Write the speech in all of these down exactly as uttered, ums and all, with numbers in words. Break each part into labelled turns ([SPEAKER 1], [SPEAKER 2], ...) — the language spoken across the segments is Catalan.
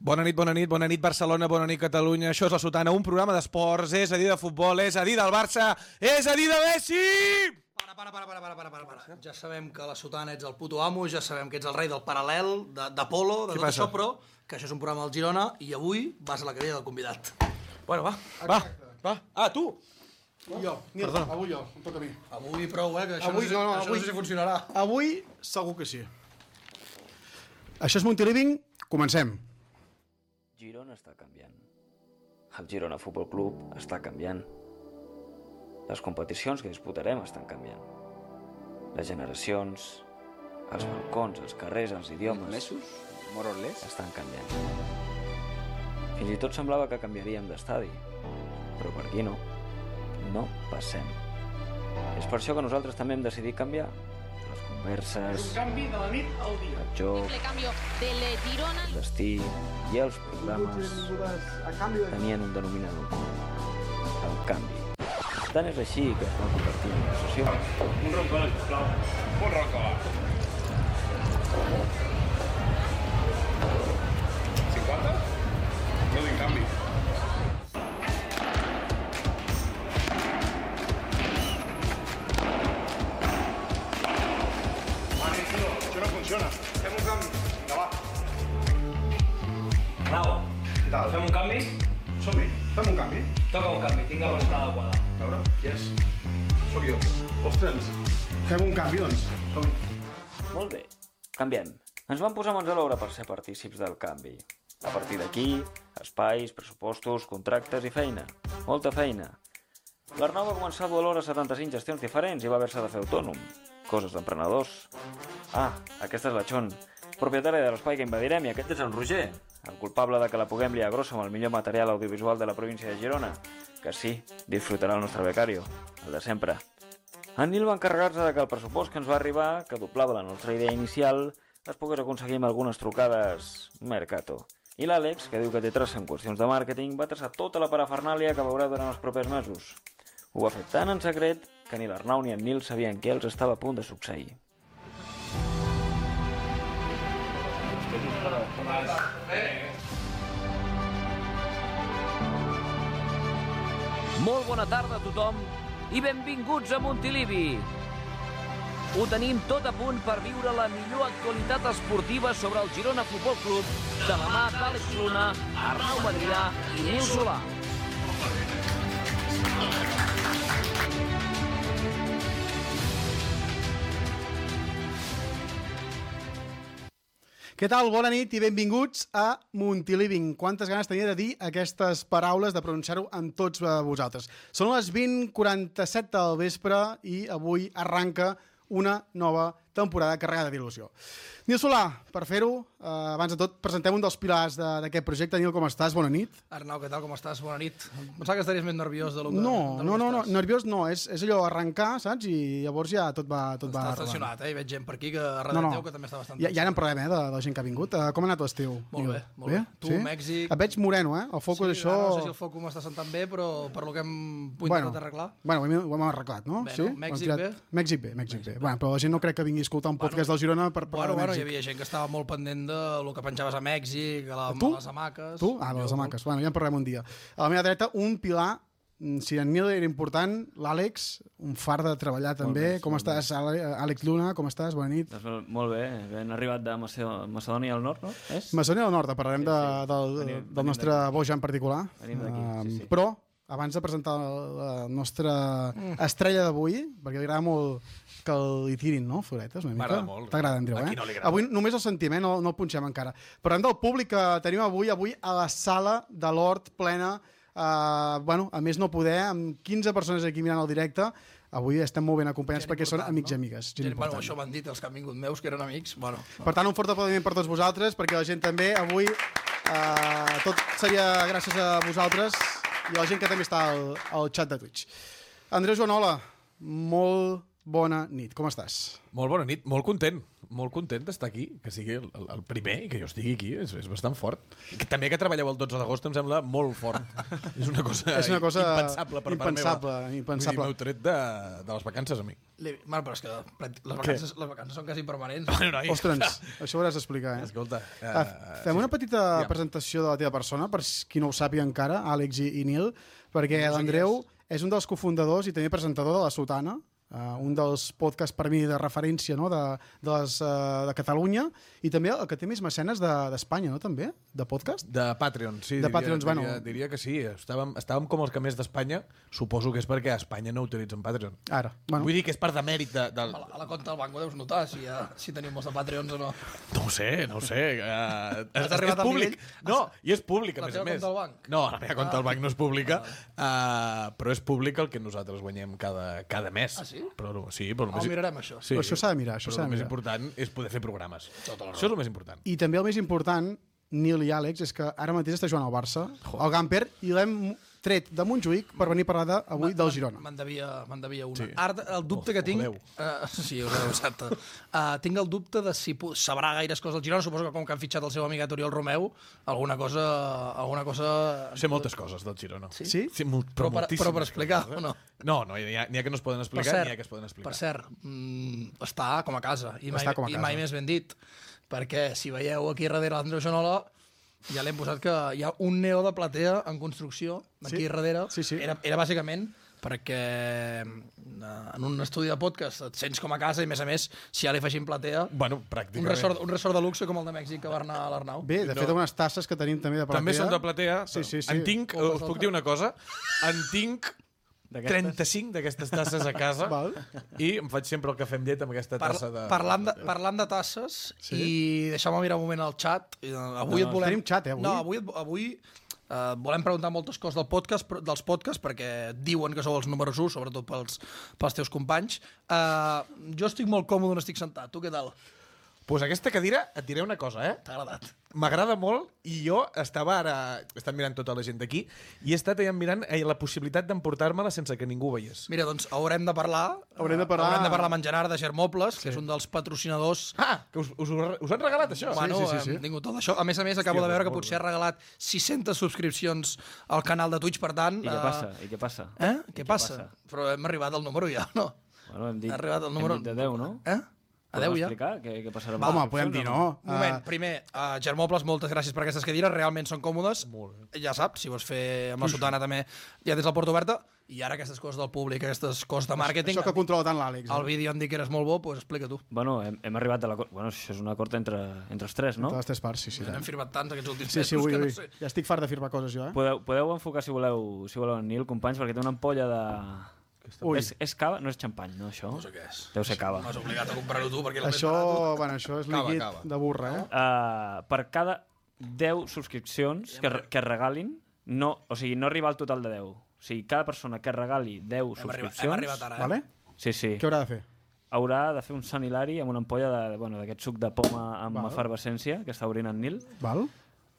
[SPEAKER 1] Bona nit, bona nit, bona nit Barcelona, bona nit Catalunya. Això és La Sotana, un programa d'esports, és a dir de futbol, és a dir del Barça, és a dir de Messi!
[SPEAKER 2] Para, para, para, para, para, para, para, para. Ja sabem que La Sotana ets el puto amo, ja sabem que ets el rei del paral·lel, d'Apolo, de, de tot això, però que això és un programa del Girona i avui vas a la cadira del convidat.
[SPEAKER 1] Bueno, va, va, va. Ah, tu!
[SPEAKER 3] Jo, Nil, Perdona. avui jo, em toca a mi.
[SPEAKER 2] Avui prou, eh, que això,
[SPEAKER 3] avui,
[SPEAKER 2] no, sé,
[SPEAKER 3] no, no,
[SPEAKER 2] això
[SPEAKER 3] avui,
[SPEAKER 2] no sé si funcionarà.
[SPEAKER 3] Avui segur que sí. Això és Montiliving, comencem.
[SPEAKER 4] Girona està canviant. El Girona Futbol Club està canviant. Les competicions que disputarem estan canviant. Les generacions, els balcons, els carrers, els idiomes...
[SPEAKER 5] Mesos? More or less?
[SPEAKER 4] Estan canviant. Fins i tot semblava que canviaríem d'estadi. Però per aquí no. No passem. És per això que nosaltres també hem decidit canviar. Les converses...
[SPEAKER 3] Un canvi de la nit al dia.
[SPEAKER 4] El joc... El destí i els programes tenien un denominador comú. El canvi. Tant és així que es va convertir en una obsessió.
[SPEAKER 6] Un roncola, sisplau. Un roncola. cinquanta? No tinc canvi. Vale, tio, això no funciona. Fem un canvi. Vinga, va.
[SPEAKER 7] Bravo.
[SPEAKER 6] Què tal?
[SPEAKER 7] Fem un canvi?
[SPEAKER 6] Som-hi. Fem un canvi.
[SPEAKER 7] Toca un canvi, tinc la persona adequada.
[SPEAKER 6] A veure, qui és? Sóc jo. Ostres, fem un canvi, doncs. Som-hi.
[SPEAKER 4] Molt bé, canviem. Ens vam posar mans a l'obra per ser partícips del canvi. A partir d'aquí, espais, pressupostos, contractes i feina. Molta feina. L'Arnau va començar a dur alhora setanta-cinc gestions diferents i va haver-se de fer autònom. Coses d'emprenedors. Ah, aquesta és la Chon, propietària de l'espai que invadirem, i aquest és el Roger, el culpable de que la puguem liar grossa amb el millor material audiovisual de la província de Girona, que sí, disfrutarà el nostre becario, el de sempre. En Nil va encarregar-se de que el pressupost que ens va arribar, que doblava la nostra idea inicial, es pogués aconseguir amb algunes trucades Mercato. I l'Àlex, que diu que té traça en qüestions de màrqueting, va traçar tota la parafernàlia que veurà durant els propers mesos. Ho va fer tan en secret que ni l'Arnau ni en Nil sabien què els estava a punt de succeir.
[SPEAKER 8] Molt bona tarda a tothom i benvinguts a Montilivi. Ho tenim tot a punt per viure la millor actualitat esportiva sobre el Girona Futbol Club de la mà d'Àlex Luna, Arnau Madrià i Nil Solà.
[SPEAKER 3] Què tal? Bona nit i benvinguts a Montiliving. Quantes ganes tenia de dir aquestes paraules, de pronunciar-ho amb tots vosaltres. Són les vint quaranta-set del vespre i avui arranca una nova temporada carregada d'il·lusió. Nil Solà, per fer-ho, eh, abans de tot, presentem un dels pilars d'aquest projecte. Nil, com estàs? Bona nit.
[SPEAKER 2] Arnau, què tal, com estàs? Bona nit. Pensava que estaries més nerviós de lo que,
[SPEAKER 3] no,
[SPEAKER 2] de lo
[SPEAKER 3] no,
[SPEAKER 2] que
[SPEAKER 3] no, no,
[SPEAKER 2] estàs.
[SPEAKER 3] nerviós no, és, és allò arrencar, saps? I llavors ja tot va tot va
[SPEAKER 2] Estàs tensionat, eh? I veig gent per aquí que darrere
[SPEAKER 3] no, no.
[SPEAKER 2] teu que també està bastant
[SPEAKER 3] ja, ja n'en parlem, eh, de, de la gent que ha vingut. Uh, com ha anat l'estiu?
[SPEAKER 2] Molt bé, molt bé. Tu,
[SPEAKER 3] sí?
[SPEAKER 2] Mèxic...
[SPEAKER 3] Et veig moreno, eh? El focus,
[SPEAKER 2] sí,
[SPEAKER 3] això...
[SPEAKER 2] No sé si el focus m'està sentant bé, però per lo que hem
[SPEAKER 3] bueno,
[SPEAKER 2] intentat arreglar...
[SPEAKER 3] Bueno, ho hem, ho hem arreglat, no?
[SPEAKER 2] Bé,
[SPEAKER 3] sí?
[SPEAKER 2] no? Mèxic bé?
[SPEAKER 3] Mèxic bé, Mèxic bé. Bueno, però la gent no crec que vingui a escoltar un podcast
[SPEAKER 2] bueno,
[SPEAKER 3] del Girona per parlar
[SPEAKER 2] bueno,
[SPEAKER 3] de Mèxic.
[SPEAKER 2] Bueno, hi havia gent que estava molt pendent de lo que penjaves a Mèxic, a, la,
[SPEAKER 3] tu?
[SPEAKER 2] a les hamaques...
[SPEAKER 3] Tu? Ah, de les hamaques. Bueno, ja en parlem un dia. A la meva dreta, un pilar. Si en Nil era important, l'Àlex, un far de treballar també. Bé, com estàs, Àlex Luna? Com estàs? Bona nit.
[SPEAKER 4] Doncs molt bé, ben arribat de Macedònia al Nord, no? És?
[SPEAKER 3] Macedònia del Nord, parlarem sí, sí. De, del, venim, del nostre boja en particular.
[SPEAKER 4] Venim d'aquí, uh, sí, sí.
[SPEAKER 3] Però, abans de presentar la nostra mm. estrella d'avui, perquè li agrada molt que li tirin, no? Floretes, una mica.
[SPEAKER 1] M'agrada molt.
[SPEAKER 3] T'agrada, Andreu, eh?
[SPEAKER 1] No
[SPEAKER 3] avui només el sentim, eh? No, no el punxem encara. Parlem del públic que tenim avui, avui a la sala de l'Hort plena. Uh, bueno, a més no poder, amb quinze persones aquí mirant el directe. Avui estem molt ben acompanyats gent perquè són amics no? i amigues.
[SPEAKER 2] Gent gent, bueno, això m'han dit els que han vingut meus, que eren amics. Bueno,
[SPEAKER 3] per tant, un fort aplaudiment per tots vosaltres, perquè la gent també avui uh, tot seria gràcies a vosaltres i a la gent que també està al, al xat de Twitch. Andreu Joanola, molt bona nit. Com estàs?
[SPEAKER 1] Molt bona nit, molt content. Molt content d'estar aquí, que sigui el, el primer i que jo estigui aquí, és, és bastant fort. Que també que treballeu el dotze d'agost em sembla molt fort. és una cosa,
[SPEAKER 3] és una cosa
[SPEAKER 1] impensable per
[SPEAKER 3] impensable,
[SPEAKER 1] part meva.
[SPEAKER 3] impensable.
[SPEAKER 1] Vull dir, m'heu tret de, de les vacances a mi.
[SPEAKER 2] Bueno, però és que les vacances, les vacances són quasi permanents.
[SPEAKER 1] Bueno, noi,
[SPEAKER 3] Ostres, això ho hauràs d'explicar, eh?
[SPEAKER 1] Escolta. Uh,
[SPEAKER 3] uh, fem una petita
[SPEAKER 1] ja.
[SPEAKER 3] presentació de la teva persona, per qui no ho sàpiga encara, Àlex i, i Nil, perquè no l'Andreu és un dels cofundadors i també presentador de La Sotana, Uh, un dels podcasts per mi de referència, no? de, de, les, uh, de Catalunya, i també el que té més mecenes d'Espanya, de, no? també? De podcast?
[SPEAKER 1] De Patreon, sí.
[SPEAKER 3] De
[SPEAKER 1] diria,
[SPEAKER 3] Patreons,
[SPEAKER 1] diria,
[SPEAKER 3] bueno.
[SPEAKER 1] diria que sí. Estàvem, estàvem com els que més d'Espanya. Suposo que és perquè a Espanya no utilitzen Patreon.
[SPEAKER 3] Ara. Bueno.
[SPEAKER 1] Vull dir que és per demèrit de... de...
[SPEAKER 2] A, la, a la compte del banc ho deus notar, si, ja, si teniu molts de Patreons o no.
[SPEAKER 1] No ho sé, no ho sé. Uh, és, és
[SPEAKER 2] arribat al
[SPEAKER 1] públic.
[SPEAKER 2] nivell?
[SPEAKER 1] No, i és públic, a
[SPEAKER 2] La
[SPEAKER 1] més a
[SPEAKER 2] teva
[SPEAKER 1] més.
[SPEAKER 2] compte del banc?
[SPEAKER 1] No, la meva compte del banc no és pública, uh, però és públic el que nosaltres guanyem cada, cada mes.
[SPEAKER 2] Ah, sí?
[SPEAKER 1] Però, sí, però
[SPEAKER 2] Oh, mirarem això.
[SPEAKER 1] Sí,
[SPEAKER 3] Però això s'ha de mirar, això
[SPEAKER 1] però
[SPEAKER 3] s'ha de
[SPEAKER 1] el més
[SPEAKER 3] mirar.
[SPEAKER 1] important és poder fer programes.
[SPEAKER 2] Tota la
[SPEAKER 1] Això és el més important.
[SPEAKER 3] I també el més important, Nil i Àlex, és que ara mateix està jugant al Barça, al Gamper, i l'hem tret de Montjuïc per venir a parlar de, avui del Girona.
[SPEAKER 2] Me'n devia, me devia una.
[SPEAKER 1] Sí.
[SPEAKER 2] Ara, el dubte
[SPEAKER 1] Oh,
[SPEAKER 2] que tinc...
[SPEAKER 1] voleu.
[SPEAKER 2] Uh, sí, ho sabeu, exacte. Uh, tinc el dubte de si pu- sabrà gaires coses del Girona. Suposo que com que han fitxat el seu amic Oriol Romeu, alguna cosa... Alguna cosa...
[SPEAKER 1] Sé moltes coses del Girona.
[SPEAKER 2] Sí?
[SPEAKER 3] Sí?
[SPEAKER 1] Sí, molt,
[SPEAKER 2] Però, per,
[SPEAKER 1] moltíssimes
[SPEAKER 2] però per explicar,
[SPEAKER 1] coses, eh?
[SPEAKER 2] o no?
[SPEAKER 1] No, no, n'hi ha, n'hi ha que no es poden
[SPEAKER 2] Per
[SPEAKER 1] explicar,
[SPEAKER 2] cert,
[SPEAKER 1] n'hi ha que es poden explicar.
[SPEAKER 2] per cert mm, està com a casa. I mai,
[SPEAKER 3] Està com a
[SPEAKER 2] i
[SPEAKER 3] casa.
[SPEAKER 2] mai més ben dit. Perquè si veieu aquí darrere l'Andreu Jonola, ja l'hem posat que hi ha un neó de platea en construcció aquí
[SPEAKER 3] Sí.
[SPEAKER 2] darrere.
[SPEAKER 3] Sí, sí.
[SPEAKER 2] Era, era bàsicament perquè eh, en un estudi de podcast et sents com a casa i, a més a més, si ja li afegim platea,
[SPEAKER 1] Bueno,
[SPEAKER 2] un
[SPEAKER 1] pràcticament.
[SPEAKER 2] resort, un resort de luxe com el de Mèxic que va anar a l'Arnau.
[SPEAKER 3] Bé, de fet, unes tasses que tenim també de platea.
[SPEAKER 1] També són de platea.
[SPEAKER 3] Sí, sí, sí.
[SPEAKER 1] En tinc,
[SPEAKER 2] Moltes
[SPEAKER 1] us puc
[SPEAKER 2] altres.
[SPEAKER 1] dir una cosa, en tinc trenta-cinc d'aquestes tasses a casa
[SPEAKER 3] Val.
[SPEAKER 1] i em faig sempre el cafè amb llet amb aquesta
[SPEAKER 2] Par
[SPEAKER 1] tassa de...
[SPEAKER 2] parlant, de, parlant de tasses, sí? I deixeu-me mirar un moment al xat. I, uh, avui
[SPEAKER 3] No,
[SPEAKER 2] et volem...
[SPEAKER 3] tenim xat, eh, avui?
[SPEAKER 2] No, avui, et- avui uh, volem preguntar moltes coses del podcast, però- dels podcasts, perquè diuen que sou els números u, sobretot pels, pels teus companys. Uh, jo estic molt còmode on estic sentat. Tu què tal?
[SPEAKER 1] Pues aquesta cadira, et diré una cosa, eh?
[SPEAKER 2] T'ha agradat?
[SPEAKER 1] M'agrada molt i jo estava ara... He estat mirant tota la gent d'aquí i he estat allà mirant eh, la possibilitat d'emportar-me-la sense que ningú ho veiés.
[SPEAKER 2] Mira, doncs haurem de parlar...
[SPEAKER 3] Haurem de parlar-
[SPEAKER 2] Uh, haurem de parlar amb en Gerard de Germobles, sí. que és un dels patrocinadors.
[SPEAKER 1] Ah, que us, us, us han regalat això?
[SPEAKER 2] Bueno,
[SPEAKER 3] sí, sí, sí.
[SPEAKER 2] hem tingut tot això. A més a més, acabo
[SPEAKER 1] Hòstia,
[SPEAKER 2] de veure que
[SPEAKER 1] molt
[SPEAKER 2] potser ha regalat sis-centes subscripcions al canal de Twitch, per tant...
[SPEAKER 4] I què
[SPEAKER 2] eh,
[SPEAKER 4] passa? I què passa?
[SPEAKER 2] Eh?
[SPEAKER 4] I
[SPEAKER 2] Què passa? Però hem arribat al número ja, no?
[SPEAKER 4] Bueno, hem dit,
[SPEAKER 2] Ha arribat el número-
[SPEAKER 4] hem dit de deu, no?
[SPEAKER 2] Eh? A deu ja?
[SPEAKER 4] explicar què, què passarà? amb
[SPEAKER 3] Home,
[SPEAKER 4] les
[SPEAKER 3] podem dir
[SPEAKER 4] subscripcions,
[SPEAKER 3] no.
[SPEAKER 2] Un moment,
[SPEAKER 3] Uh,
[SPEAKER 2] primer, uh, Germobles, moltes gràcies per aquestes cadires, realment són còmodes. Ja saps, si vols fer amb la sotana també, ja tens la porta oberta. I ara aquestes coses del públic, aquestes coses de màrqueting...
[SPEAKER 3] això que controla tant l'Àlex.
[SPEAKER 2] Al
[SPEAKER 3] Eh?
[SPEAKER 2] vídeo em dic que eres molt bo, doncs explica tu.
[SPEAKER 4] Bueno, hem, hem arribat a l'acord... Bueno, això és un acord entre, entre els tres, no?
[SPEAKER 3] De les tres parts, sí, sí.
[SPEAKER 2] Hem firmat tants aquests últims
[SPEAKER 3] Sí, sí,
[SPEAKER 2] mesos
[SPEAKER 3] ui,
[SPEAKER 2] que
[SPEAKER 3] ui.
[SPEAKER 2] no sé.
[SPEAKER 3] Ja estic fart de firmar coses, jo, eh?
[SPEAKER 4] Podeu, podeu enfocar, si voleu, si voleu en Nil, companys, perquè té una ampolla de...
[SPEAKER 3] Ui.
[SPEAKER 4] És, és cava? No és xampany, no, això?
[SPEAKER 2] No sé què és.
[SPEAKER 4] Deu ser cava.
[SPEAKER 2] M'has obligat a comprar-ho tu, perquè és el
[SPEAKER 3] Això,
[SPEAKER 2] més barat.
[SPEAKER 3] bueno, això és
[SPEAKER 1] Cava,
[SPEAKER 3] líquid
[SPEAKER 1] cava.
[SPEAKER 3] de burra, eh?
[SPEAKER 4] Uh, per cada deu subscripcions que, que regalin, no, o sigui, no arribar al total de deu. O sigui, cada persona que regali deu
[SPEAKER 2] Hem arribat,
[SPEAKER 4] subscripcions...
[SPEAKER 2] hem arribat ara, eh?
[SPEAKER 3] Vale?
[SPEAKER 4] Sí, sí.
[SPEAKER 3] Què haurà de fer?
[SPEAKER 4] Haurà de fer un Sant Hilari amb una ampolla de- bueno, d'aquest suc de poma amb
[SPEAKER 3] Val.
[SPEAKER 4] efervescència que està obrint en Nil.
[SPEAKER 3] Val?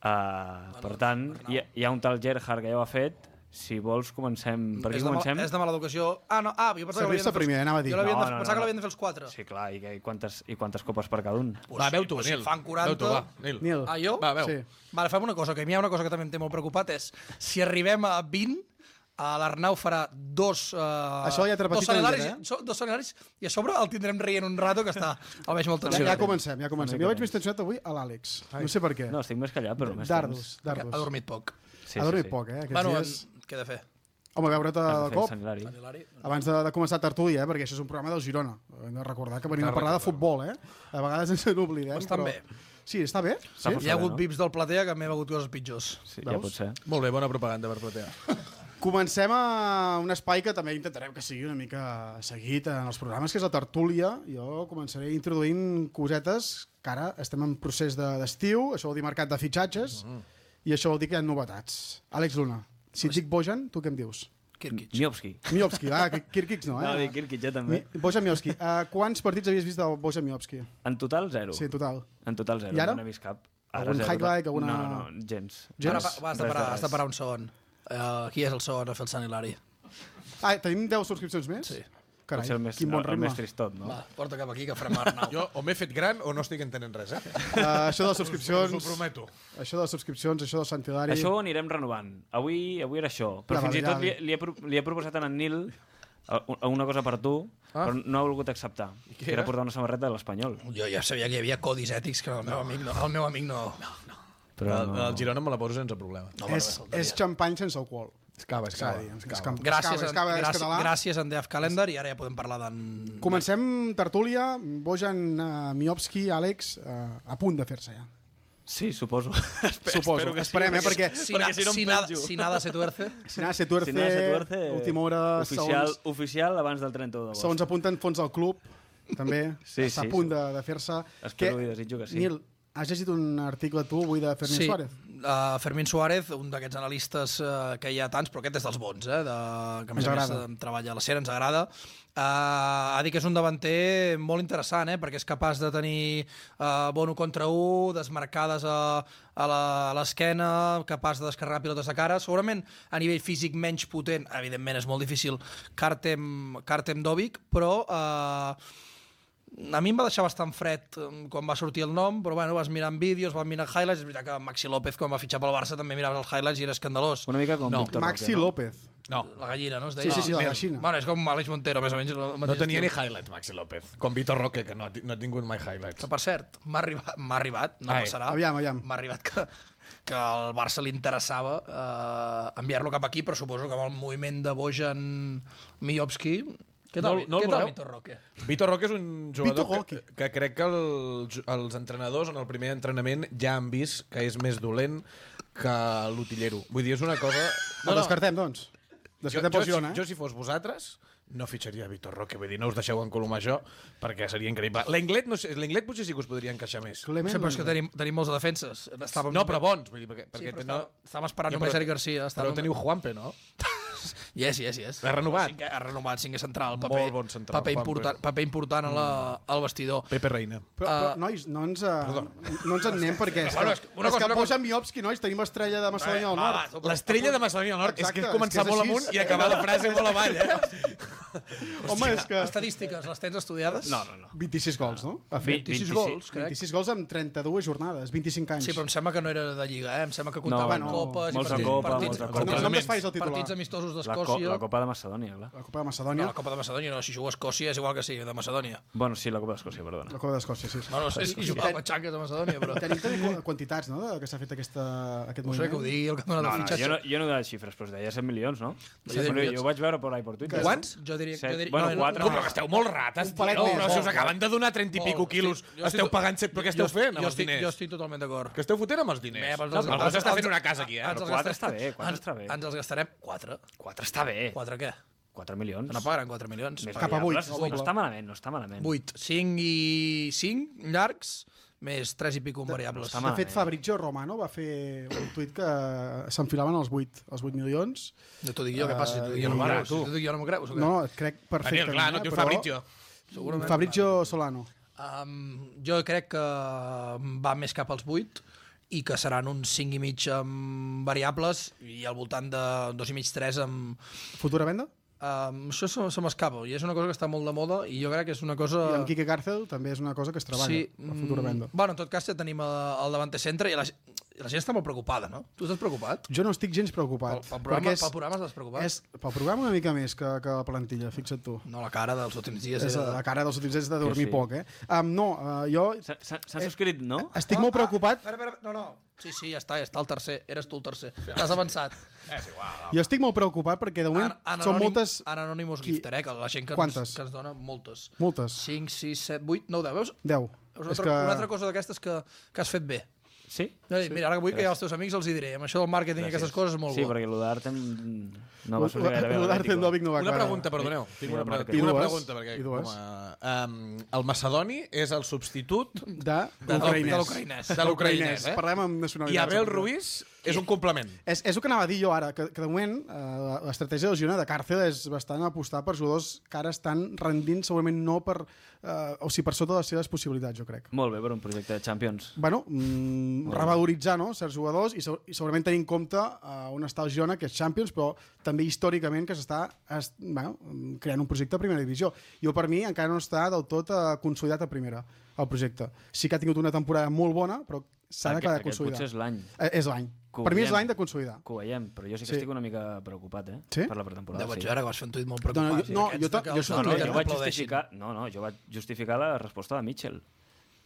[SPEAKER 4] Uh, per tant, hi ha, hi ha un tal Gerhard que ja ho ha fet. Si vols, comencem... Per aquí
[SPEAKER 2] és, de
[SPEAKER 4] comencem?
[SPEAKER 2] mal, és de mala educació. Ah, no, ah, jo pensava que
[SPEAKER 3] Servir-se
[SPEAKER 2] l'havien de fer...
[SPEAKER 3] primer, anava a dir.
[SPEAKER 2] Jo l'havien de,
[SPEAKER 4] No, no,
[SPEAKER 2] pensava
[SPEAKER 4] no,
[SPEAKER 2] que l'havien de fer els quatre.
[SPEAKER 4] Sí, clar, i, que- i, quantes, i quantes copes per cada un?
[SPEAKER 2] Pues
[SPEAKER 1] Va,
[SPEAKER 2] sí,
[SPEAKER 1] veu tu,
[SPEAKER 2] pues si
[SPEAKER 1] Nil.
[SPEAKER 2] fan quaranta...
[SPEAKER 1] Veu tu, va, Nil.
[SPEAKER 3] Nil.
[SPEAKER 2] Ah, jo?
[SPEAKER 1] Va, veu.
[SPEAKER 3] Sí.
[SPEAKER 2] Vale, fem una cosa, que a mi hi ha una cosa que també em té molt preocupat, és si arribem a vint, a l'Arnau farà dos... Uh,
[SPEAKER 3] Això ja t'he repetit
[SPEAKER 2] dos sanelaris,
[SPEAKER 3] en
[SPEAKER 2] so, dos sanelaris, i a sobre el tindrem rient un rato, que està, el veig molt
[SPEAKER 3] Ja,
[SPEAKER 2] tensionat.
[SPEAKER 3] ja comencem, ja comencem. Jo veig més tensionat avui a l'Àlex. No sé per què.
[SPEAKER 4] No, estic més callat, però més
[SPEAKER 3] Dardos,
[SPEAKER 2] Ha
[SPEAKER 3] dardos.
[SPEAKER 2] dormit poc.
[SPEAKER 4] temps. Sí,
[SPEAKER 3] Ha dormit
[SPEAKER 4] sí, sí.
[SPEAKER 3] poc, eh, aquests
[SPEAKER 2] Bueno,
[SPEAKER 3] dies.
[SPEAKER 2] què he de fer?
[SPEAKER 3] Home, veure't
[SPEAKER 4] Has
[SPEAKER 3] de
[SPEAKER 4] de fer
[SPEAKER 3] cop,
[SPEAKER 4] Sant Hilari.
[SPEAKER 2] Hilari?
[SPEAKER 3] abans de, de començar tertúlia, eh, perquè això és un programa del Girona. Hem de recordar que venim a parlar de futbol, eh? A vegades ens n'oblidem,
[SPEAKER 2] Bastant
[SPEAKER 3] però...
[SPEAKER 2] bé.
[SPEAKER 3] Sí, està bé. Sí?
[SPEAKER 4] Està
[SPEAKER 2] Hi ha hagut
[SPEAKER 4] no?
[SPEAKER 2] vips del platea que m'he begut coses pitjors.
[SPEAKER 4] Sí, ja
[SPEAKER 3] Veus?
[SPEAKER 4] pot ser.
[SPEAKER 1] Molt bé, bona propaganda per platea.
[SPEAKER 3] Comencem a un espai que també intentarem que sigui una mica seguit en els programes, que és la tertúlia. Jo començaré introduint cosetes que ara estem en procés de- d'estiu, això vol dir mercat de fitxatges, i això vol dir que hi ha novetats. Àlex Luna, si et dic Bojan, tu què em dius?
[SPEAKER 2] Kirkic.
[SPEAKER 4] Miovski.
[SPEAKER 3] Miovski, va, Kirkic no, eh?
[SPEAKER 4] No, dic Kirkic, ja també.
[SPEAKER 3] Mi- Bojan Miovski. Uh, quants partits havies vist del Bojan Miovski?
[SPEAKER 4] En total, zero.
[SPEAKER 3] Sí, en total.
[SPEAKER 4] En total, zero.
[SPEAKER 3] I ara?
[SPEAKER 4] No n'he vist cap.
[SPEAKER 3] Algun
[SPEAKER 4] zero.
[SPEAKER 3] highlight, alguna-
[SPEAKER 4] No, no, no, gens.
[SPEAKER 2] Ara,
[SPEAKER 3] Gens?
[SPEAKER 2] va, va, has, de
[SPEAKER 4] Res de
[SPEAKER 2] parar,
[SPEAKER 4] res.
[SPEAKER 2] has de parar un segon. Uh, qui és el segon a fer el Sant Hilari?
[SPEAKER 3] Ah, tenim deu subscripcions més?
[SPEAKER 2] Sí.
[SPEAKER 3] Carai,
[SPEAKER 4] potser el més,
[SPEAKER 3] quin bon
[SPEAKER 4] el
[SPEAKER 3] ritme.
[SPEAKER 4] més tristot, no?
[SPEAKER 2] Va, porta cap aquí, que farem Arnau.
[SPEAKER 1] Jo o m'he fet gran o no estic entenent res, eh?
[SPEAKER 3] Uh, això de les subscripcions...
[SPEAKER 1] Us ho prometo.
[SPEAKER 3] Això de les subscripcions, això de Sant Hilari...
[SPEAKER 4] Això ho anirem renovant. Avui, avui era això. Però
[SPEAKER 3] La
[SPEAKER 4] fins i tot li,
[SPEAKER 3] validada.
[SPEAKER 4] li, he, pro- li he proposat a en Nil uh, una cosa per tu, ah. però no ha volgut acceptar. Que era portar una samarreta de l'Espanyol.
[SPEAKER 2] Jo ja sabia que hi havia codis ètics que el meu amic no. El meu amic no.
[SPEAKER 4] Però
[SPEAKER 1] El, el Girona me la poso sense problema.
[SPEAKER 2] no
[SPEAKER 3] És, és xampany sense alcohol.
[SPEAKER 1] Escava,
[SPEAKER 3] S'ha
[SPEAKER 1] escava.
[SPEAKER 3] de dir, és
[SPEAKER 1] escava.
[SPEAKER 3] cam-
[SPEAKER 2] Gràcies,
[SPEAKER 3] escava, escava, és
[SPEAKER 2] gràcies,
[SPEAKER 3] català.
[SPEAKER 2] gràcies en D F Calendar i ara ja podem parlar d'en...
[SPEAKER 3] Comencem tertúlia. Bojan, uh, Miovski, Àlex, uh, a punt de fer-se ja.
[SPEAKER 4] sí, suposo.
[SPEAKER 3] Suposo. Esperem, eh? Perquè
[SPEAKER 2] Si, na,
[SPEAKER 4] si no em
[SPEAKER 2] si, nada,
[SPEAKER 4] penjo.
[SPEAKER 2] si nada se tuerce.
[SPEAKER 3] si nada se tuerce,
[SPEAKER 4] Si nada se tuerce,
[SPEAKER 3] última hora,
[SPEAKER 4] oficial,
[SPEAKER 3] segons,
[SPEAKER 4] oficial abans del trenta-u d'agost.
[SPEAKER 3] segons apunten fons del club, també
[SPEAKER 4] Sí,
[SPEAKER 3] està
[SPEAKER 4] sí,
[SPEAKER 3] a punt
[SPEAKER 4] sí.
[SPEAKER 3] de, de fer-se.
[SPEAKER 4] Espero i desitjo que sí.
[SPEAKER 3] Nil, has llegit un article tu avui de Fermín
[SPEAKER 2] Sí,
[SPEAKER 3] Suárez?
[SPEAKER 2] uh, Fermín Suárez, un d'aquests analistes uh, que hi ha tants, però aquest és dels bons, eh, de, que a més
[SPEAKER 3] Ens
[SPEAKER 2] a més
[SPEAKER 3] agrada.
[SPEAKER 2] eh, treballa a la SER, ens agrada. Uh, ha dit que és un davanter molt interessant, eh, perquè és capaç de tenir uh, bon un contra un, desmarcades a, a la- a l'esquena, capaç de descarregar pilotes de cara. Segurament a nivell físic menys potent, evidentment és molt difícil, Kartem, Kartem Dovic, però... Uh, a mi em va deixar bastant fred eh, quan va sortir el nom, però bueno, vas mirant vídeos, vas mirant highlights, és veritat que Maxi López quan va fitxar pel Barça també miraves els highlights i era escandalós.
[SPEAKER 4] Una mica com
[SPEAKER 1] No,
[SPEAKER 4] Víctor
[SPEAKER 3] Maxi
[SPEAKER 4] Roque, no?
[SPEAKER 3] López.
[SPEAKER 1] No,
[SPEAKER 2] La gallina, no? Es
[SPEAKER 3] Sí,
[SPEAKER 2] deia?
[SPEAKER 3] sí, sí, la
[SPEAKER 2] Mira,
[SPEAKER 3] gallina.
[SPEAKER 2] Bueno, és com Àlex Montero, més o menys. el
[SPEAKER 1] no
[SPEAKER 2] mateix
[SPEAKER 1] tenia ni
[SPEAKER 2] estil.
[SPEAKER 1] highlights, Maxi López. Com Vitor Roque, que no, ha ti- no ha tingut mai highlights.
[SPEAKER 2] Que, per cert, m'ha arribat, m'ha arribat, no
[SPEAKER 1] Ai.
[SPEAKER 2] passarà,
[SPEAKER 3] Aviam, aviam.
[SPEAKER 2] m'ha arribat que, que al Barça li interessava eh, enviar-lo cap aquí, però suposo que amb el moviment de Bojan Miovski... Què tal,
[SPEAKER 1] No- no el
[SPEAKER 2] què tal
[SPEAKER 1] voleu?
[SPEAKER 2] Vitor Roque?
[SPEAKER 1] Vitor Roque és un jugador
[SPEAKER 3] Vitor
[SPEAKER 1] que,
[SPEAKER 3] Roque.
[SPEAKER 1] que crec que els, els entrenadors en el primer entrenament ja han vist que és més dolent que l'utillero. Vull dir, és una cosa...
[SPEAKER 3] El descartem, doncs.
[SPEAKER 1] Jo,
[SPEAKER 3] Descartem
[SPEAKER 1] jo,
[SPEAKER 3] pel Girona,
[SPEAKER 1] si,
[SPEAKER 3] eh?
[SPEAKER 1] jo, si fos vosaltres, no fitxaria Vitor Roque. Vull dir, no us deixeu encolomar això, perquè seria increïble. L'Englet, no sé, l'Englet potser sí que us podria encaixar més.
[SPEAKER 3] Clement,
[SPEAKER 2] Sí, però és que tenim, tenim molts de defenses. Estàvem...
[SPEAKER 1] No, però bons. Vull dir, perquè,
[SPEAKER 2] Sí,
[SPEAKER 1] perquè
[SPEAKER 2] però
[SPEAKER 1] no...
[SPEAKER 2] estàvem, estàvem esperant
[SPEAKER 1] Ja,
[SPEAKER 2] només
[SPEAKER 1] però-
[SPEAKER 2] Eric Garcia.
[SPEAKER 1] Però
[SPEAKER 2] Estàvem...
[SPEAKER 1] teniu Juanpe, no?
[SPEAKER 2] Yes, yes, yes.
[SPEAKER 1] L'ha renovat.
[SPEAKER 2] Cinquè, ha renovat, cinquè central.
[SPEAKER 1] Molt
[SPEAKER 2] Paper,
[SPEAKER 1] bon central,
[SPEAKER 2] paper,
[SPEAKER 1] Juanpe.
[SPEAKER 2] important, paper important a la, al vestidor.
[SPEAKER 1] Pepe Reina.
[SPEAKER 3] Però, però nois, no ens, uh, no ens en anem perquè és que,
[SPEAKER 2] Bueno, és que una
[SPEAKER 3] és
[SPEAKER 2] cosa-
[SPEAKER 3] que
[SPEAKER 2] una cosa-
[SPEAKER 3] Bojan Miovski, nois, tenim l'estrella de Macedònia del Nord.
[SPEAKER 1] L'estrella de Macedònia del Nord és que
[SPEAKER 3] Exacte,
[SPEAKER 1] és començar
[SPEAKER 3] és que és
[SPEAKER 1] molt
[SPEAKER 3] així.
[SPEAKER 1] amunt i acabar la frase molt avall, eh?
[SPEAKER 3] Home, és que...
[SPEAKER 2] Estadístiques, les tens estudiades?
[SPEAKER 4] No, no, no.
[SPEAKER 3] vint-i-sis gols, no? Ha fet
[SPEAKER 2] vint-i-sis gols, crec.
[SPEAKER 3] vint-i-sis gols en trenta-dues jornades, vint-i-cinc anys.
[SPEAKER 2] Sí, però em sembla que no era de Lliga, eh? Em sembla que comptava
[SPEAKER 4] No,
[SPEAKER 2] amb
[SPEAKER 3] no.
[SPEAKER 2] copes i
[SPEAKER 4] Molts de
[SPEAKER 2] partits,
[SPEAKER 4] Copa,
[SPEAKER 2] partits,
[SPEAKER 4] molts de
[SPEAKER 3] No,
[SPEAKER 4] Copa.
[SPEAKER 3] no em desfais el titular.
[SPEAKER 2] partits amistosos
[SPEAKER 4] La, co
[SPEAKER 2] d'Escòcia.
[SPEAKER 4] la Copa de Macedònia, clar.
[SPEAKER 3] La Copa de
[SPEAKER 2] No,
[SPEAKER 3] Macedònia.
[SPEAKER 2] la Copa de Macedònia no, si jugo a Escòcia és igual que sigui de Macedònia.
[SPEAKER 4] Bueno, sí, la Copa d'Escòcia, perdona.
[SPEAKER 3] La Copa d'Escòcia, sí.
[SPEAKER 2] No, no sé si jugava a Petxanques de Macedònia, però...
[SPEAKER 3] Tenim també qu- quantitats, no?, de que s'ha fet aquesta, aquest
[SPEAKER 2] No sé que ho
[SPEAKER 3] moviment.
[SPEAKER 2] digui el que dona
[SPEAKER 4] No,
[SPEAKER 2] de
[SPEAKER 4] no,
[SPEAKER 2] fitxatge.
[SPEAKER 4] jo no, jo no he donat xifres, però es deia set milions, no?
[SPEAKER 2] Sí, set
[SPEAKER 4] Bueno,
[SPEAKER 2] milions.
[SPEAKER 4] jo ho vaig veure per ahí per Twitter.
[SPEAKER 1] Quants?
[SPEAKER 2] Jo diria...
[SPEAKER 4] Set.
[SPEAKER 2] Jo diria
[SPEAKER 4] Bueno,
[SPEAKER 2] no,
[SPEAKER 4] quatre.
[SPEAKER 2] no,
[SPEAKER 1] Com, però que esteu molt rates,
[SPEAKER 3] Un palet
[SPEAKER 1] tio,
[SPEAKER 3] més,
[SPEAKER 1] però si us
[SPEAKER 3] molt,
[SPEAKER 1] acaben de donar trenta i
[SPEAKER 2] Molt,
[SPEAKER 1] pico quilos,
[SPEAKER 2] estic- jo
[SPEAKER 1] esteu
[SPEAKER 2] estic-
[SPEAKER 1] pagant set, però què esteu
[SPEAKER 2] jo-
[SPEAKER 1] fent amb
[SPEAKER 2] jo
[SPEAKER 1] els
[SPEAKER 2] estic-
[SPEAKER 1] diners?
[SPEAKER 2] Jo estic totalment d'acord.
[SPEAKER 1] Què esteu fotent amb els diners?
[SPEAKER 2] Mep, ens
[SPEAKER 1] No,
[SPEAKER 2] els-
[SPEAKER 1] algú s'està
[SPEAKER 2] ens-
[SPEAKER 1] fent una casa aquí, eh?
[SPEAKER 2] ens
[SPEAKER 4] Però
[SPEAKER 2] els
[SPEAKER 4] quatre
[SPEAKER 2] gastem-
[SPEAKER 4] està bé, quatre
[SPEAKER 2] ens-
[SPEAKER 4] està bé.
[SPEAKER 2] Ens els gastarem quatre.
[SPEAKER 4] Quatre està bé.
[SPEAKER 2] Quatre què?
[SPEAKER 4] quatre milions.
[SPEAKER 2] No pagaran quatre milions.
[SPEAKER 4] Més
[SPEAKER 3] Cap a vuit,
[SPEAKER 4] variables,
[SPEAKER 3] no,
[SPEAKER 4] No està malament, no està malament.
[SPEAKER 2] vuit. cinc i cinc llargs, més tres i pico en variables.
[SPEAKER 4] està
[SPEAKER 3] De
[SPEAKER 4] malament.
[SPEAKER 3] fet, Fabrizio Romano va fer un tuit que s'enfilaven els vuit, els vuit milions.
[SPEAKER 2] No t'ho dic jo, què passa? Si t'ho dic jo
[SPEAKER 3] Uh,
[SPEAKER 2] no m'ho
[SPEAKER 3] i-
[SPEAKER 2] creus. Si t'ho dic jo no m'ho creus. o què?
[SPEAKER 3] No, crec perfectament.
[SPEAKER 1] Daniel, clar, no et
[SPEAKER 3] eh,
[SPEAKER 1] dius
[SPEAKER 3] però-
[SPEAKER 1] Fabrizio.
[SPEAKER 2] Segurament.
[SPEAKER 3] Fabrizio Solano.
[SPEAKER 2] Um, jo crec que va més cap als vuit i que seran uns cinc i mig amb variables i al voltant de dos i mig, tres amb...
[SPEAKER 3] Futura venda?
[SPEAKER 2] Um, això se, se m'escapa i és una cosa que està molt de moda i jo crec que és una cosa...
[SPEAKER 3] I amb Quique Cárcel també és una cosa que es treballa,
[SPEAKER 2] sí,
[SPEAKER 3] la futura
[SPEAKER 2] mm,
[SPEAKER 3] venda.
[SPEAKER 2] Bueno, en tot cas ja tenim el, el davanter centre i la, i la gent està molt preocupada, no? Tu estàs preocupat?
[SPEAKER 3] Jo no estic gens preocupat.
[SPEAKER 2] Pel, pel, programa,
[SPEAKER 3] és,
[SPEAKER 2] pel programa estàs preocupat?
[SPEAKER 3] és, pel programa una mica més que, que la plantilla, fixa't tu.
[SPEAKER 2] No, la cara dels últims dies
[SPEAKER 3] És
[SPEAKER 2] era...
[SPEAKER 3] la cara dels últims anys de dormir
[SPEAKER 4] sí.
[SPEAKER 3] poc, eh? Um, no, uh, jo
[SPEAKER 4] S'ha- S'ha s'ha subscrit, no?
[SPEAKER 3] estic molt preocupat.
[SPEAKER 2] Espera, espera, no, no. Sí, sí, ja està, ja està el tercer. Eres tu el tercer. T'has avançat.
[SPEAKER 3] Jo estic molt preocupat perquè de moment
[SPEAKER 2] An
[SPEAKER 3] són moltes...
[SPEAKER 2] En Anonymous
[SPEAKER 3] Qui-
[SPEAKER 2] Gifter, eh? Que la gent que
[SPEAKER 3] Quantes?
[SPEAKER 2] ens, que ens dona moltes.
[SPEAKER 3] Moltes.
[SPEAKER 2] cinc, sis, set, vuit, nou, deu. Veus?
[SPEAKER 3] Deu.
[SPEAKER 2] Veus una,
[SPEAKER 3] És
[SPEAKER 2] altra,
[SPEAKER 3] que...
[SPEAKER 2] una altra cosa d'aquestes que, que has fet bé.
[SPEAKER 4] Sí?
[SPEAKER 2] No, mira, ara que vull que ja els teus amics els hi diré. Amb això del màrqueting i aquestes coses és molt
[SPEAKER 4] Sí,
[SPEAKER 2] bo.
[SPEAKER 4] perquè el d'Artem no va sortir gaire bé. a
[SPEAKER 3] L'Artem
[SPEAKER 4] l'Atlético.
[SPEAKER 3] Dovic no va
[SPEAKER 1] Una
[SPEAKER 3] acabar.
[SPEAKER 1] pregunta, perdoneu. Tinc una, pre
[SPEAKER 4] I
[SPEAKER 1] tinc una
[SPEAKER 3] dues.
[SPEAKER 1] pregunta, perquè
[SPEAKER 3] I dues.
[SPEAKER 1] com a, um, el macedoni és el substitut
[SPEAKER 3] De
[SPEAKER 2] de
[SPEAKER 3] l'ucraïnès.
[SPEAKER 2] l'ucraïnès.
[SPEAKER 1] de l'ucraïnès, eh?
[SPEAKER 3] Parlem amb
[SPEAKER 1] I
[SPEAKER 3] nacionalitats.
[SPEAKER 1] Abel Ruiz és un complement.
[SPEAKER 3] És, és el que anava a dir jo ara, que, que de moment eh, l'estratègia del Girona de Càrcel és bastant apostar per jugadors que ara estan rendint segurament no per, eh, o sigui, per sota de les seves possibilitats, jo crec.
[SPEAKER 4] Molt bé per un projecte de Champions.
[SPEAKER 3] Bueno, mm, revaloritzar, no?, certs jugadors i, se, i segurament tenir en compte eh, on està el Girona, que és Champions, però també històricament que s'està bueno, creant un projecte a primera divisió. Jo, per mi, encara no està del tot eh, consolidat a primera, el projecte. Sí que ha tingut una temporada molt bona, però s'ha d'acabar de consolidar.
[SPEAKER 4] Potser és l'any.
[SPEAKER 3] Eh, és l'any. Per mi és l'any de consolidar.
[SPEAKER 4] Que ho veiem, però jo sí que
[SPEAKER 3] Sí.
[SPEAKER 4] estic una mica preocupat, eh?
[SPEAKER 3] Sí?
[SPEAKER 4] Per la pretemporada.
[SPEAKER 2] Ja vaig
[SPEAKER 4] sí.
[SPEAKER 2] veure que vas fer un tuit molt
[SPEAKER 3] No,
[SPEAKER 2] preocupat.
[SPEAKER 3] no, jo-
[SPEAKER 2] Aquests
[SPEAKER 3] jo ta-
[SPEAKER 2] de que
[SPEAKER 3] jo
[SPEAKER 2] els
[SPEAKER 3] soc
[SPEAKER 4] No, no,
[SPEAKER 3] Tuitet,
[SPEAKER 4] jo vaig
[SPEAKER 2] aplaudeixin.
[SPEAKER 4] justificar, no, no, jo vaig justificar la resposta de Mitchell.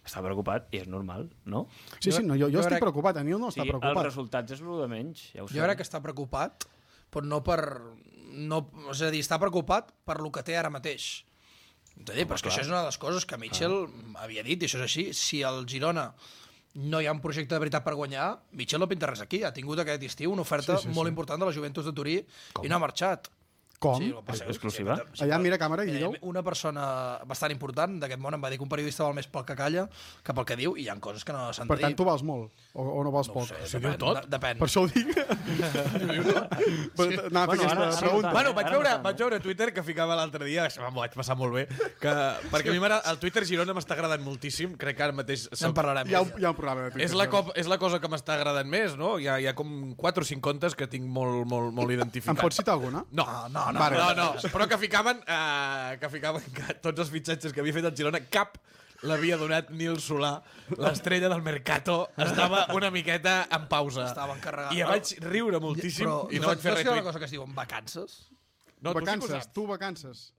[SPEAKER 4] Està preocupat i és normal, no?
[SPEAKER 3] Sí, sí, no, jo, jo,
[SPEAKER 2] jo
[SPEAKER 3] estic
[SPEAKER 2] crec-
[SPEAKER 3] preocupat, a Nil no
[SPEAKER 4] O
[SPEAKER 3] està
[SPEAKER 4] sigui, els
[SPEAKER 3] preocupat.
[SPEAKER 4] resultats és el de menys, ja ho sé.
[SPEAKER 2] Jo crec que està preocupat, però no per... No, és a dir, està preocupat per lo que té ara mateix. És a dir, però és que això és una de les coses que Mitchell havia dit, i això és així. Si al Girona no hi ha un projecte de veritat per guanyar, Mitchell no pinta res aquí. Ha tingut aquest estiu una oferta
[SPEAKER 3] Sí, sí, sí.
[SPEAKER 2] molt important de la Juventus de Turí i no ha marxat.
[SPEAKER 3] Com?
[SPEAKER 2] Sí, el que passa és que-
[SPEAKER 4] Exclusiva?
[SPEAKER 2] sí,
[SPEAKER 3] Allà
[SPEAKER 2] però-
[SPEAKER 3] mira càmera i
[SPEAKER 2] Eh,
[SPEAKER 3] digueu.
[SPEAKER 2] Una persona bastant important d'aquest món em va dir que un periodista val més pel que calla que pel que diu, i hi ha coses que no s'han de
[SPEAKER 3] Per
[SPEAKER 2] dir.
[SPEAKER 3] tant, tu vals molt, o, o no vals
[SPEAKER 2] No ho
[SPEAKER 3] poc?
[SPEAKER 2] sé,
[SPEAKER 1] Si
[SPEAKER 2] depèn,
[SPEAKER 1] diu tot.
[SPEAKER 2] de- Depèn.
[SPEAKER 3] Per això ho dic. Però anava a fer
[SPEAKER 4] Bueno, ara-
[SPEAKER 3] aquesta
[SPEAKER 4] ara
[SPEAKER 3] pregunta.
[SPEAKER 4] no
[SPEAKER 1] Bueno,
[SPEAKER 4] Eh?
[SPEAKER 1] vaig
[SPEAKER 4] Ara
[SPEAKER 1] veure,
[SPEAKER 4] no tant,
[SPEAKER 1] vaig veure a Twitter que ficava l'altre dia, això m'ho vaig passar molt bé, que, perquè a mi m'agrada- el Twitter Girona m'està agradant moltíssim, crec que ara mateix...
[SPEAKER 2] Ja en parlarem.
[SPEAKER 3] Hi ha, un, hi ha un programa de Twitter.
[SPEAKER 1] És la, cop, és la cosa que m'està agradant més, no? Hi ha, hi ha com quatre o cinc comptes que tinc molt, molt, molt
[SPEAKER 3] Em
[SPEAKER 1] identificats.
[SPEAKER 3] pots citar alguna?
[SPEAKER 1] No,
[SPEAKER 2] Ah, no, no,
[SPEAKER 3] Vale.
[SPEAKER 1] no, no, però que ficaven, uh, que ficaven que tots els fitxatges que havia fet el Girona, cap l'havia donat Nil Solà, l'estrella del Mercato, estava una miqueta en pausa.
[SPEAKER 2] Estava encarregat.
[SPEAKER 1] I vaig riure moltíssim
[SPEAKER 2] Però
[SPEAKER 1] i no vaig fer
[SPEAKER 2] saps que hi ha una
[SPEAKER 1] retweet.
[SPEAKER 2] cosa que es diuen vacances?
[SPEAKER 1] No, tu sí que ho
[SPEAKER 3] vacances,
[SPEAKER 1] saps.
[SPEAKER 3] tu vacances.